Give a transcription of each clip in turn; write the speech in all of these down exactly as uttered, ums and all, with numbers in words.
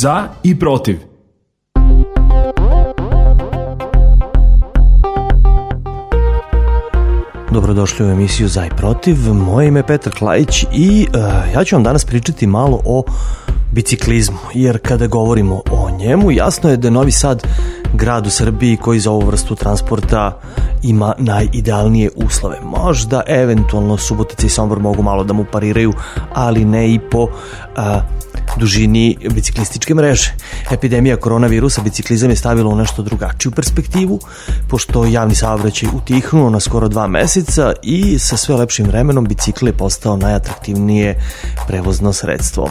Za i protiv. Dobrodošli u emisiju Za i protiv. Moje ime je Petar Klajić i uh, ja ću vam danas pričati malo o biciklizmu, jer kada govorimo o njemu, jasno je da je Novi Sad grad u Srbiji koji za ovu vrstu transporta ima najidealnije uslove. Možda eventualno Subotica i Sombor mogu malo da mu pariraju, ali ne i po a, dužini biciklističke mreže. Epidemija koronavirusa biciklizam je stavila u nešto drugačiju perspektivu, pošto javni saobraćaj utihnuo na skoro dva meseca i sa sve lepšim vremenom bicikl je postao najatraktivnije prevozno sredstvo.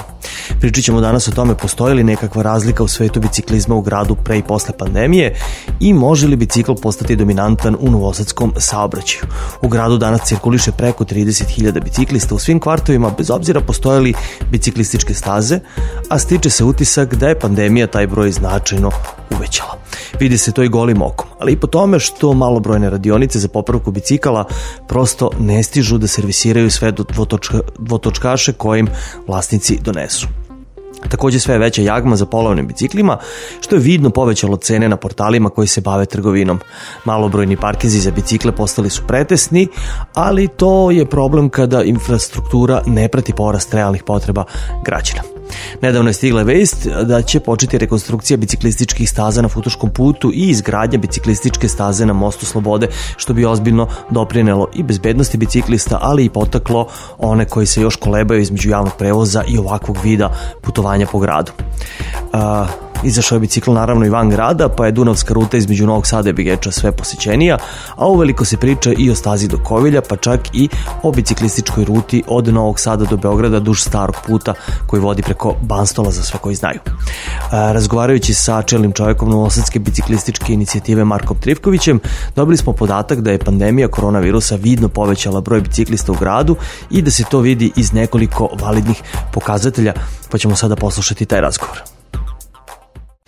Pričat ćemo danas o tome postoji li nekakva razlika u svetu biciklizma u gradu pre i posle pandemije i može li bicikl postati dominantan u novosadskom saobraćaju. U gradu danas cirkuliše preko trideset hiljada biciklista u svim kvartovima, bez obzira postoje li biciklističke staze, a stiče se utisak da je pandemija taj broj značajno uvećala. Vidi se to i golim okom, ali i po tome što malobrojne radionice za popravku bicikala prosto ne stižu da servisiraju sve dvotočka, dvotočkaše kojim vlasnici donesu. Takođe sve je veća jagma za polovnim biciklima, što je vidno povećalo cene na portalima koji se bave trgovinom. Malobrojni parkinzi za bicikle postali su pretesni, ali to je problem kada infrastruktura ne prati porast realnih potreba građana. Nedavno je stigla vest da će početi rekonstrukcija biciklističkih staza na Futoškom putu i izgradnja biciklističke staze na Mostu Slobode, što bi ozbiljno doprinelo i bezbednosti biciklista, ali i potaklo one koji se još kolebaju između javnog prevoza i ovakvog vida putovanja po gradu. Uh, Izašao je bicikl naravno i van grada, pa je Dunavska ruta između Novog Sada i Begeča sve posjećenija, a uveliko se priča i o stazi do Kovilja, pa čak i o biciklističkoj ruti od Novog Sada do Beograda duž starog puta koji vodi preko Banstola za sve koji znaju. A, razgovarajući sa čelnim čovjekom novosadske biciklističke inicijative Markom Trifkovićem, dobili smo podatak da je pandemija koronavirusa vidno povećala broj biciklista u gradu i da se to vidi iz nekoliko validnih pokazatelja, pa ćemo sada poslušati taj razgovor.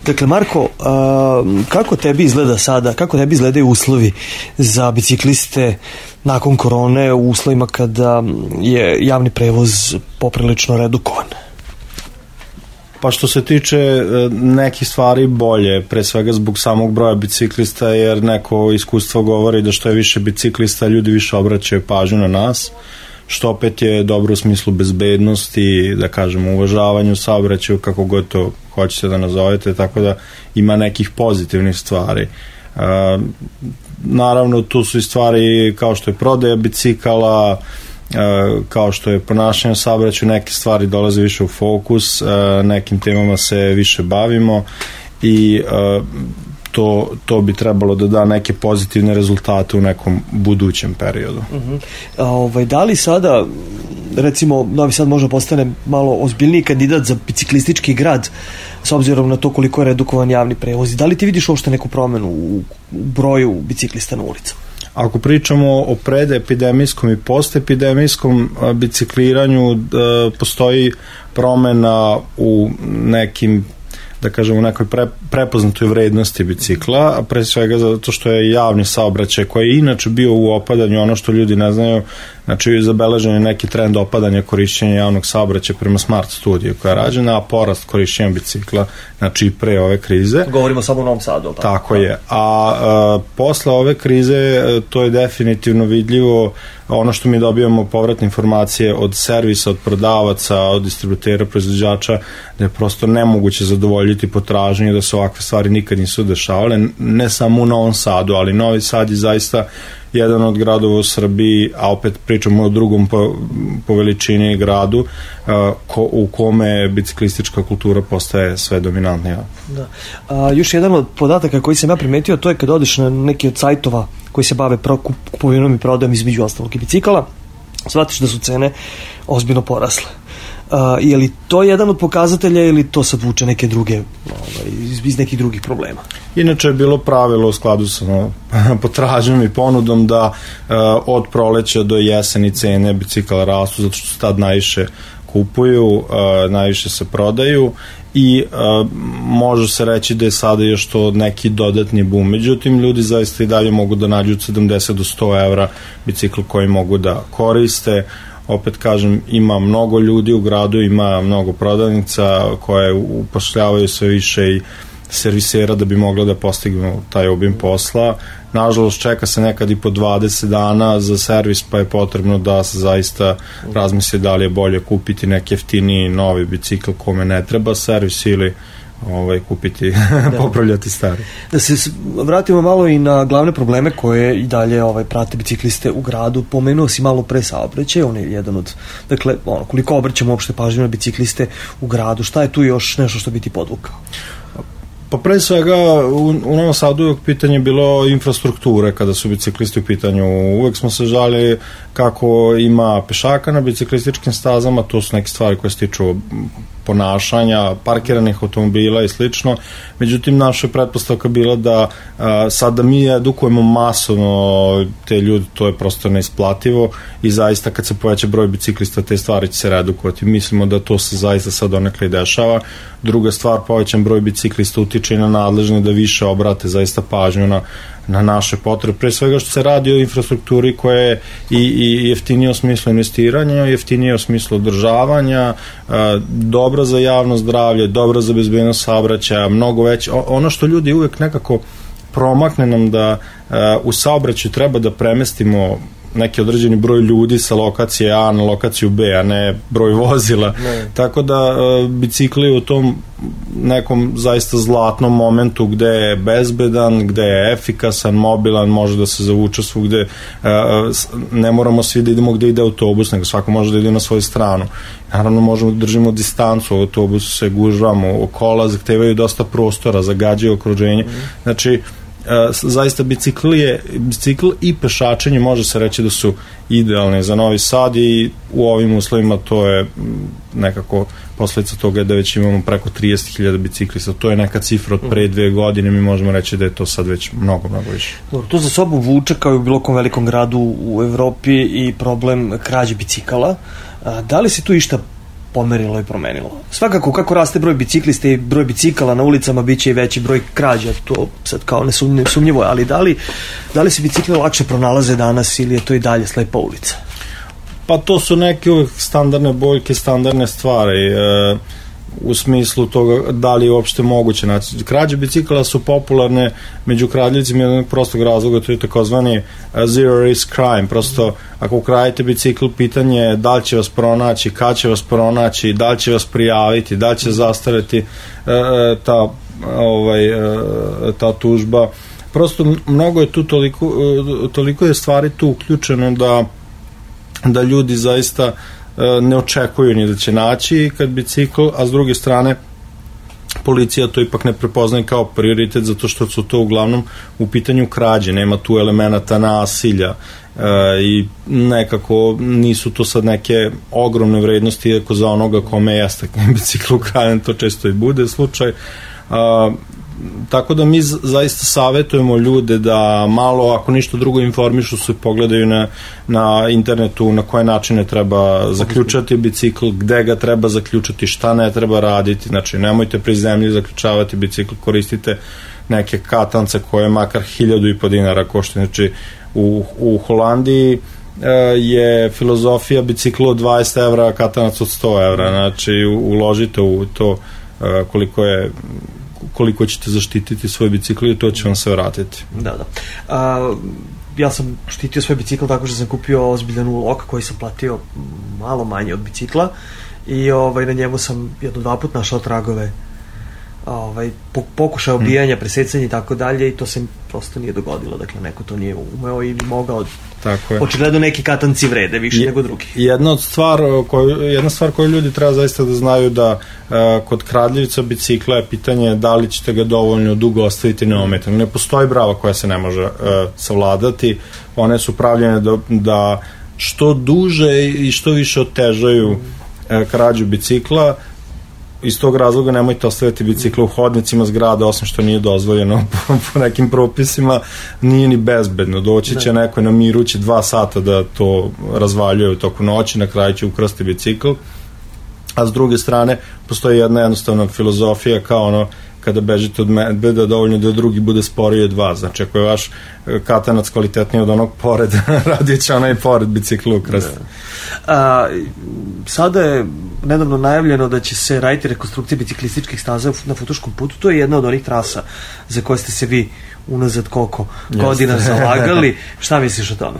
Dakle, Marko, kako tebi izgleda sada, kako tebi izgledaju uslovi za bicikliste nakon korone u uslovima kada je javni prevoz poprilično redukovan? Pa što se tiče nekih stvari bolje, pre svega zbog samog broja biciklista, jer neko iskustvo govori da što je više biciklista, ljudi više obraćaju pažnju na nas, što opet je dobro u smislu bezbednosti, da kažemo uvažavanju saobraćaju, kako god to hoćete da nazovete, tako da ima nekih pozitivnih stvari. E, naravno tu su i stvari kao što je prodaja bicikala, e, kao što je ponašanje u saobraćaju, neke stvari dolaze više u fokus, e, nekim temama se više bavimo i e, To, to bi trebalo da da neke pozitivne rezultate u nekom budućem periodu. Uh-huh. A, ovaj, da li sada, recimo, Novi Sad možda postane malo ozbiljniji kandidat za biciklistički grad, s obzirom na to koliko je redukovan javni prevoz? Da li ti vidiš uopšte neku promenu u, u broju biciklista na ulicama? Ako pričamo o predepidemijskom i postepidemijskom bicikliranju, postoji promena u nekim, da kažemo, u nekoj pre, prepoznatoj vrednosti bicikla, a pre svega zato što je javni saobraćaj koji je inače bio u opadanju, ono što ljudi ne znaju, znači zabeležen je neki trend opadanja korišćenja javnog saobraćaja prema Smart studiju koja je rađena, a porast korišćenja bicikla, znači pre ove krize. Govorimo samo o Novom Sadu. Tako, tako je. A, a posle ove krize to je definitivno vidljivo. Ono što mi dobijamo povratne informacije od servisa, od prodavaca, od distributera, proizvođača, da je prosto nemoguće zadovoljiti potražnju, da se ovakve stvari nikad nisu dešavale, ne samo u Novom Sadu, ali Novi Sad je zaista jedan od gradova u Srbiji, a opet pričamo o drugom po, po veličini gradu, uh, ko, u kome biciklistička kultura postaje sve dominantnija. Da. A, još jedan od podataka koji sam ja primetio, to je kad odeš na neki od sajtova koji se bave kupovinom i prodajom između ostalog i bicikala, shvatiš da su cene ozbiljno porasle. Uh, je li to jedan od pokazatelja ili to sad vuče neke druge, ovaj, iz, iz nekih drugih problema? Inače je bilo pravilo u skladu sa no, potražnjom i ponudom da uh, od proleća do jeseni cene bicikala rastu, zato što se tad najviše kupuju, uh, najviše se prodaju i uh, može se reći da je sada još to neki dodatni boom. Međutim, ljudi zaista i dalje mogu da nađu od sedamdeset do sto evra bicikl koji mogu da koriste. opet kažem, ima mnogo ljudi u gradu, ima mnogo prodavnica koje upošljavaju sve više i servisera da bi mogla da postignu taj obim posla. Nažalost, čeka se nekad i po dvadeset dana za servis, pa je potrebno da se zaista razmisli da li je bolje kupiti neki jeftiniji novi bicikl kome ne treba servis ili ovaj, kupiti, da. popravljati stari. Da se vratimo malo i na glavne probleme koje i dalje ovaj, prate bicikliste u gradu. Pomenuo si malo pre saobraćaj, on je jedan od, dakle, ono, koliko obraćamo uopšte pažnju na bicikliste u gradu, šta je tu još nešto što bi ti podvukao? Pa pre svega u, u Novom Sadu uvek pitanje bilo infrastrukture kada su biciklisti u pitanju. Uvek smo se žali kako ima pešaka na biciklističkim stazama, to su neke stvari koje se tiču ponašanja, parkiranih automobila i slično. Međutim, naša pretpostavka bila da a, sada mi edukujemo masovno te ljudi, to je prosto neisplativo i zaista kad se poveća broj biciklista te stvari će se redukovati. Mislimo da to se zaista sad donekle i dešava. Druga stvar, povećan broj biciklista utiče i na nadležne da više obrate zaista pažnju na na naše potrebe, pre svega što se radi o infrastrukturi koja je i, i jeftinije u smislu investiranja, jeftinije u smislu održavanja, a, dobra za javno zdravlje, dobra za bezbednost saobraćaja, mnogo već, ono što ljudi uvek nekako promakne nam da a, u saobraćaju treba da premestimo neki određeni broj ljudi sa lokacije A na lokaciju B, a ne broj vozila. Ne. Tako da uh, bicikli u tom nekom zaista zlatnom momentu gde je bezbedan, gde je efikasan, mobilan, može da se zavuče svugde, uh, ne moramo svi da idemo gde ide autobus, nego svako može da ide na svoju stranu. Naravno možemo da držimo distancu, u autobusu se gužvamo, kola zahtevaju dosta prostora, zagađaju okruženje. Mm. Znači, Uh, zaista bicikl je, bicikl i pešačenje može se reći da su idealne za Novi Sad i u ovim uslovima to je nekako posledica toga je da već imamo preko trideset hiljada biciklista, to je neka cifra od pre dve godine, mi možemo reći da je to sad već mnogo, mnogo više. Dobro, to za sobom vuče kao i u bilo kom velikom gradu u Evropi i problem krađe bicikala. A, da li se tu išta pomerilo i promenilo? Svakako, kako raste broj biciklista i broj bicikala na ulicama, bit će i veći broj krađa, to sad kao nesumnjivo je, ali da li, da li se bicikli lakše pronalaze danas ili je to i dalje slepa ulica? Pa to su neke uvijek standardne boljke, standardne stvari, e, u smislu toga da li je uopšte moguće. Znači, krađe bicikala su popularne među kradljivcima jednog prostog razloga, to je takozvani zero risk crime. Prosto, ako ukradite bicikl, pitanje je da li će vas pronaći, kad će vas pronaći, da li će vas prijaviti, da li će zastariti e, ta, ovaj, e, ta tužba. Prosto, mnogo je tu toliko, toliko je stvari tu uključeno da, da ljudi zaista ne očekuju ni da će naći kad bicikl, a s druge strane policija to ipak ne prepoznaje kao prioritet zato što su to uglavnom u pitanju krađe, nema tu elemenata nasilja e, i nekako nisu to sad neke ogromne vrednosti, iako za onoga kome jeste bicikl ukraden, to često i bude slučaj. A, tako da mi zaista savjetujemo ljude da malo, ako ništa drugo, informišu se, pogledaju na, na internetu na koje načine treba zaključati bicikl, gde ga treba zaključati, šta ne treba raditi, znači nemojte pri zemlji zaključavati bicikl, koristite neke katance koje makar hiljadu i po dinara koštaju. Znači u, u Holandiji je filozofija bicikla od dvadeset evra, katanac od sto evra, znači uložite u to koliko je koliko ćete zaštititi svoj bicikl i to će vam se vratiti. Da, da. A, ja sam štitio svoj bicikl tako što sam kupio ozbiljan ulog koji sam platio malo manje od bicikla i ovaj, na njemu sam jedno dva put našao tragove ovaj, pokušaj obijanja, presecanja i tako dalje i to se prosto nije dogodilo, dakle neko to nije umeo ili mogao. Tako je. Očigledno neki katanci vrede više je, nego drugi. Jedna od stvar koju, jedna stvar koju ljudi treba zaista da znaju da uh, kod kradljivica bicikla je pitanje da li ćete ga dovoljno dugo ostaviti neometano. Ne postoji brava koja se ne može uh, savladati, one su pravljene da, da što duže i što više otežaju uh, krađu bicikla. Iz tog razloga nemojte ostaviti bicikle u hodnicima zgrada, osim što nije dozvoljeno po, po nekim propisima, nije ni bezbedno. Doći će neko na miru, će dva sata da to razvaljuje u toku noći, na kraju će ukrasti bicikl. A s druge strane, postoji jedna jednostavna filozofija kao ono, kada bežite od medveda, dovoljno da drugi bude sporiji od vas. Znači, ako je vaš katanac kvalitetniji od onog pored, radit će onaj pored biciklu ukrasti. A, sada je nedavno najavljeno da će se raditi rekonstrukcija biciklističkih staza na Futoškom putu. To je jedna od onih trasa za koje ste se vi unazad koliko godina zalagali. Šta misliš o tome?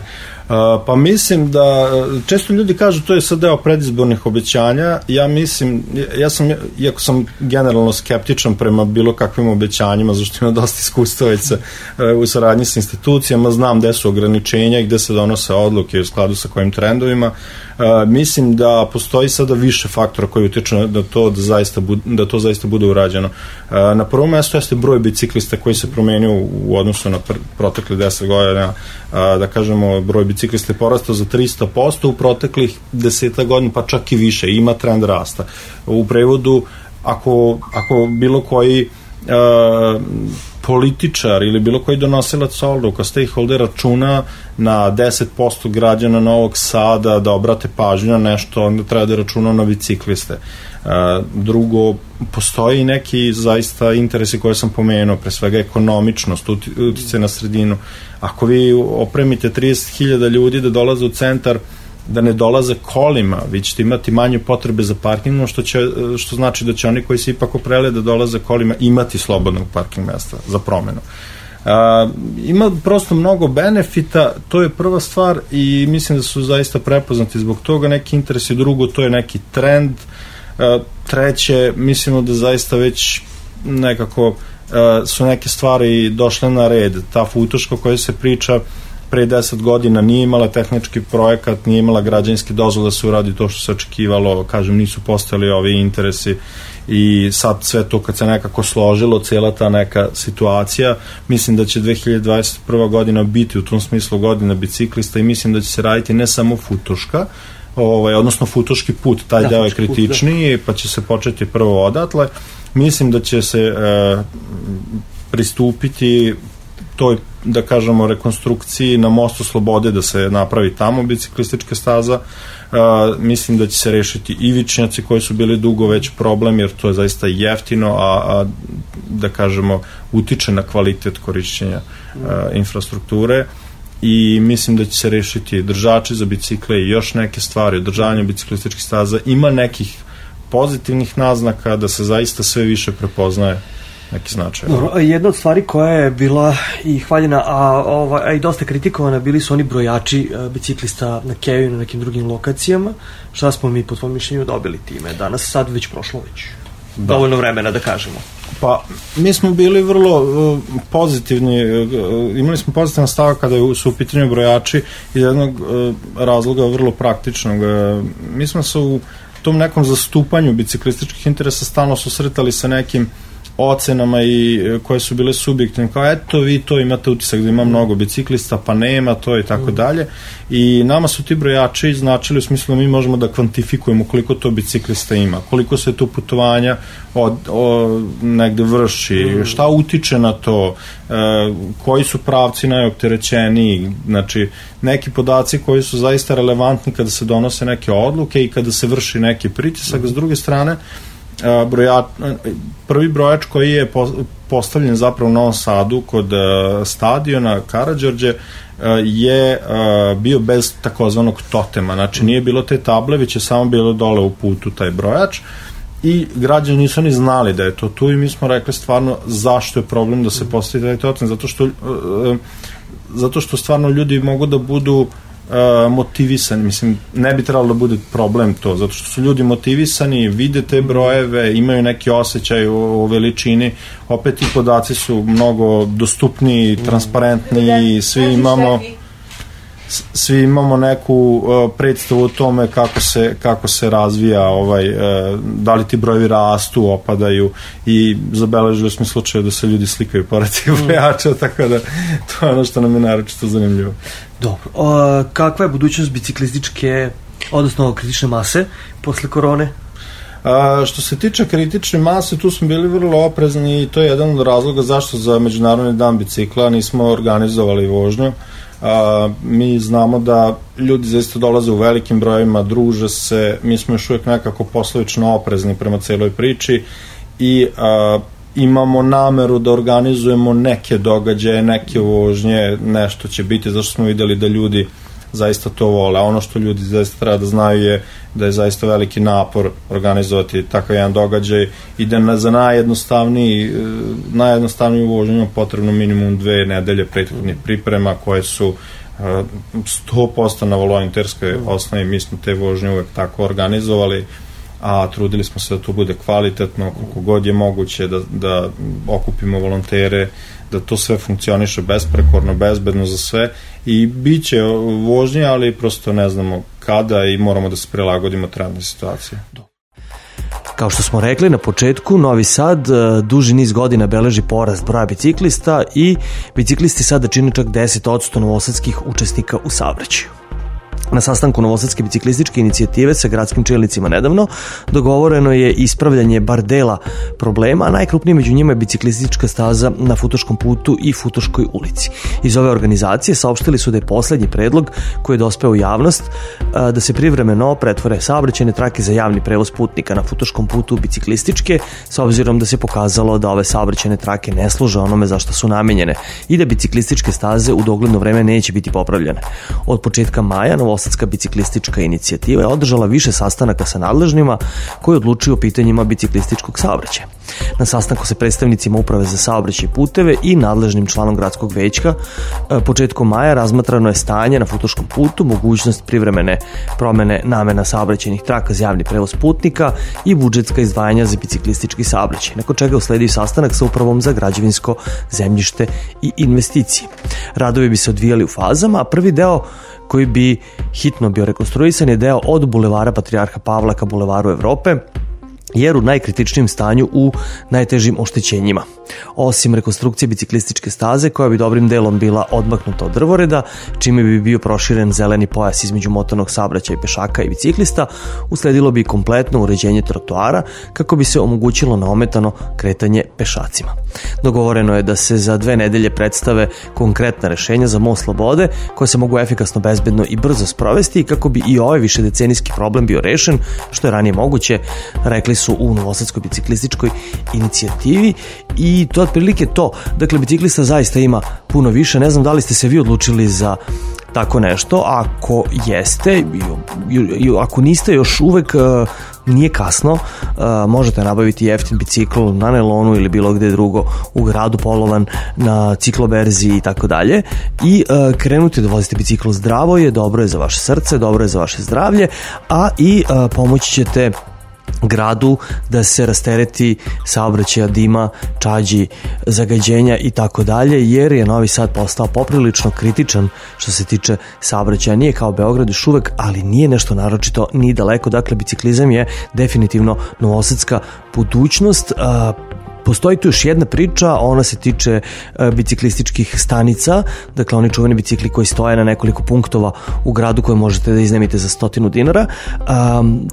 Uh, pa mislim da često ljudi kažu to je sad deo predizbornih obećanja. Ja mislim, ja sam, iako sam generalno skeptičan prema bilo kakvim obećanjima, zašto ima dosta iskustva već sa, uh, u saradnji sa institucijama, znam gde su ograničenja i gde se donose odluke u skladu sa kojim trendovima. Uh, mislim da postoji sada više faktora koji utiču da to da zaista bude, da to zaista bude urađeno. Uh, na prvom mestu jeste broj biciklista koji se promenio u odnosu na pr- protekle deset godina, uh, da kažemo broj biciklista je porastao za tristo posto u proteklih deseta godina, pa čak i više, ima trend rasta. U prevodu, ako, ako bilo koji uh, političar ili bilo koji donosilac odluka, stakeholder računa na deset posto građana Novog Sada da obrate pažnju na nešto, onda treba da računa na bicikliste. Uh, drugo, postoji neki zaista interesi koje sam pomenuo, pre svega ekonomičnost, utice na sredinu. Ako vi opremite trideset hiljada ljudi da dolaze u centar, da ne dolaze kolima, vi ćete imati manje potrebe za parkingom, što, će, što znači da će oni koji se ipak oprele da dolaze kolima imati slobodnog parking mesta za promenu. Uh, ima prosto mnogo benefita, to je prva stvar i mislim da su zaista prepoznati zbog toga neki interesi, drugo to je neki trend, uh, treće mislimo da zaista već nekako uh, su neke stvari došle na red. Ta Futoška koja se priča pre deset godina nije imala tehnički projekat, nije imala građevinski dozvol da se uradi to što se očekivalo, kažem, nisu postojali ovi interesi i sad sve to kad se nekako složilo, cijela ta neka situacija, mislim da će dve hiljade dvadeset prva godina biti u tom smislu godina biciklista i mislim da će se raditi ne samo Futoška, ovaj, odnosno Futoški put, taj da, deo je kritičniji, pa će se početi prvo odatle. Mislim da će se e, pristupiti toj, da kažemo, rekonstrukciji na Mostu Slobode, da se napravi tamo biciklistička staza. Uh, mislim da će se rešiti ivičnjaci koji su bili dugo već problem, jer to je zaista jeftino, a, a da kažemo, utiče na kvalitet korišćenja uh, infrastrukture i mislim da će se rešiti držači za bicikle i još neke stvari, održavanje biciklističkih staza. Ima nekih pozitivnih naznaka da se zaista sve više prepoznaje neki značaj. Dobro, jedna od stvari koja je bila i hvaljena, a, ova, a i dosta kritikovana, bili su oni brojači a, biciklista na Keju i na nekim drugim lokacijama. Šta smo mi po tvojom mišljenju dobili time? Danas sad već prošlo već da. Dovoljno vremena da kažemo. Pa, mi smo bili vrlo uh, pozitivni, uh, imali smo pozitivan stav kada su u pitanju brojači iz jednog uh, razloga vrlo praktičnog. Uh, mi smo se u tom nekom zastupanju biciklističkih interesa stalno susretali sa nekim ocenama i koje su bile subjektivne, kao eto vi to imate utisak da ima mnogo biciklista, pa nema to i tako dalje, i nama su ti brojači značili u smislu da mi možemo da kvantifikujemo koliko to biciklista ima, koliko se to putovanja od, od negde vrši, šta utiče na to, e, koji su pravci najopterećeniji, znači neki podaci koji su zaista relevantni kada se donose neke odluke i kada se vrši neki pritisak. S druge strane, brojač, prvi brojač koji je postavljen zapravo u Novom Sadu kod stadiona Karađorđe je bio bez takozvanog totema, znači nije bilo te table, već je samo bilo dole u putu taj brojač i građani nisu ni znali da je to tu i mi smo rekli stvarno zašto je problem da se postavi taj totem, zato što zato što stvarno ljudi mogu da budu Uh, motivisani, mislim, ne bi trebalo da bude problem to, zato što su ljudi motivisani, vide te brojeve, imaju neki osjećaj o, o veličini, opet ti podaci su mnogo dostupniji, transparentni, svi imamo svi imamo neku uh, predstavu o tome kako se, kako se razvija ovaj, uh, da li ti brojevi rastu, opadaju i zabeležili smo slučaje da se ljudi slikaju pored tih brojača, tako da to je ono što nam je naročito zanimljivo. Dobro, o, kakva je budućnost biciklističke, odnosno kritične mase posle korone? A, što se tiče kritične mase, tu smo bili vrlo oprezni i to je jedan od razloga zašto za Međunarodni dan bicikla nismo organizovali vožnju. A, mi znamo da ljudi zaista dolaze u velikim brojevima, druže se, mi smo još uvijek nekako poslovično oprezni prema celoj priči i a, imamo nameru da organizujemo neke događaje, neke vožnje, nešto će biti, zašto smo videli da ljudi zaista to vole. A ono što ljudi zaista treba da znaju je da je zaista veliki napor organizovati takav jedan događaj i da na, za najjednostavniji najjednostavniju vožnju potrebno minimum dve nedelje prethodnih priprema koje su sto posto na volonterskoj osnovi. Mi smo te vožnje uvek tako organizovali, a trudili smo se da to bude kvalitetno, koliko god je moguće, da, da okupimo volontere, da to sve funkcioniše besprekorno, bezbedno za sve i bit će vožnje, ali prosto ne znamo kada i moramo da se prilagodimo trenutnoj situaciji. Kao što smo rekli na početku, Novi Sad duži niz godina beleži porast broja biciklista i biciklisti sada čine čak deset posto novosadskih učesnika u saobraćaju. Na sastanku Novosadske biciklističke inicijative sa gradskim čelnicima nedavno dogovoreno je ispravljanje bar dela problema, a najkrupniji među njima je biciklistička staza na Futoškom putu i Futoškoj ulici. Iz ove organizacije saopštili su da je poslednji predlog koji je dospeo u javnost da se privremeno pretvore saobraćajne trake za javni prevoz putnika na Futoškom putu u biciklističke, s obzirom da se pokazalo da ove saobraćajne trake ne služe onome za što su namenjene i da biciklističke staze u dogledno vreme neće biti popravljene. Od početka maja Novosadska biciklistička inicijativa je održala više sastanaka sa nadležnima koji odlučuju o pitanjima biciklističkog saobraćaja. Na sastanku sa predstavnicima Uprave za saobraćaj i puteve i nadležnim članom gradskog većka početkom maja razmatrano je stanje na Futoškom putu, mogućnost privremene promene namena saobraćajnih traka za javni prevoz putnika i budžetska izdvajanja za biciklistički saobraćaj, nakon čega usledio sastanak sa Upravom za građevinsko zemljište i investicije. Radovi bi se odvijali u fazama, a prvi deo koji bi hitno bio rekonstruisan je deo od bulevara Patrijarha Pavla ka bulevaru Evrope, jer u najkritičnijem stanju u najtežim oštećenjima. Osim rekonstrukcije biciklističke staze, koja bi dobrim delom bila odmaknuta od drvoreda, čime bi bio proširen zeleni pojas između motornog saobraćaja i pešaka i biciklista, usledilo bi kompletno uređenje trotoara kako bi se omogućilo neometano kretanje pešacima. Dogovoreno je da se za dve nedelje predstave konkretna rešenja za most Slobode, koje se mogu efikasno, bezbedno i brzo sprovesti i kako bi i ovaj višedecenijski problem bio rešen, što je ranije moguće, rekli su u Novosadskoj biciklističkoj inicijativi. I to je otprilike to. Dakle, biciklista zaista ima puno više. Ne znam da li ste se vi odlučili za tako nešto. Ako jeste, ako niste, još uvek nije kasno, možete nabaviti jeftin bicikl na nailonu ili bilo gde drugo u gradu, polovan na cikloberzi i tako dalje, i krenuti da vozite bicikl zdravo je, dobro je za vaše srce, dobro je za vaše zdravlje, a i pomoći ćete gradu da se rastereti saobraćaja, dima, čađi, zagađenja i tako dalje, jer je Novi Sad postao poprilično kritičan što se tiče saobraćaja. Nije kao Beograd još uvek, ali nije nešto naročito ni daleko. Dakle, biciklizam je definitivno novosadska budućnost. Postoji tu još jedna priča, ona se tiče e, biciklističkih stanica, dakle oni čuveni bicikli koji stoje na nekoliko punktova u gradu koje možete da iznajmite za stotinu dinara. E,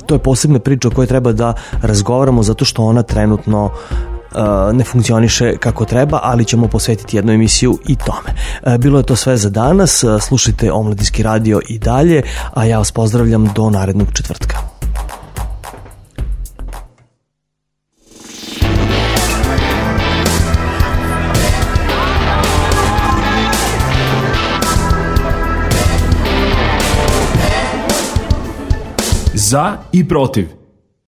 to je posebna priča o kojoj treba da razgovaramo zato što ona trenutno e, ne funkcioniše kako treba, ali ćemo posvetiti jednu emisiju i tome. E, bilo je to sve za danas, slušajte Omladinski radio i dalje, a ja vas pozdravljam do narednog četvrtka. Za i protiv.